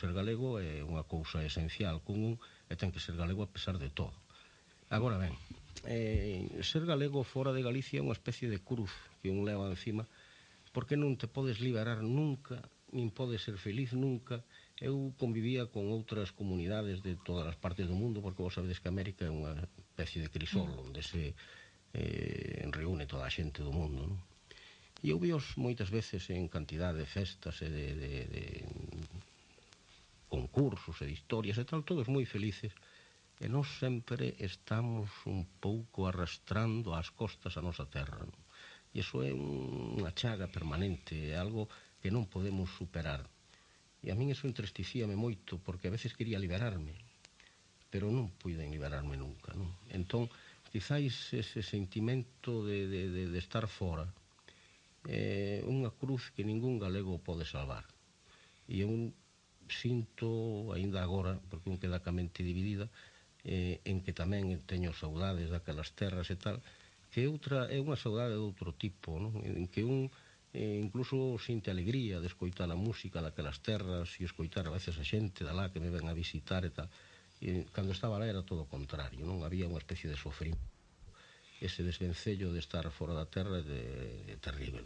ser galego é unha cousa esencial común e ten que ser galego a pesar de todo. Agora ben, ser galego fora de Galicia é unha especie de cruz que un leva encima, porque non te podes liberar nunca, nin podes ser feliz nunca. Eu convivía con outras comunidades de todas as partes do mundo, porque vos sabedes que América é unha especie de crisol onde se reúne toda a xente do mundo, non? E eu víos moitas veces en cantidad de festas e de concursos e de historias e tal, todos moi felices, e nós sempre estamos un pouco arrastrando ás costas a nosa terra, non? E iso é unha chaga permanente, é algo que non podemos superar. E a min iso entristecíame moito, porque a veces quería liberarme, pero non puiden liberarme nunca, non? Entón, quizáis ese sentimento de estar fora é unha cruz que ningún galego pode salvar. E eu sinto, aínda agora, porque un queda ca mente dividida, en que tamén teño saudades daquelas terras e tal, que outra é unha saudade de outro tipo, non? En que un incluso sinte alegría de escoitar a música daquelas terras e escoitar a veces a xente da lá que me ven a visitar e tal. E cando estaba lá era todo o contrario, non? Había unha especie de sofrimento. Ese desvencello de estar fora da terra é terrible.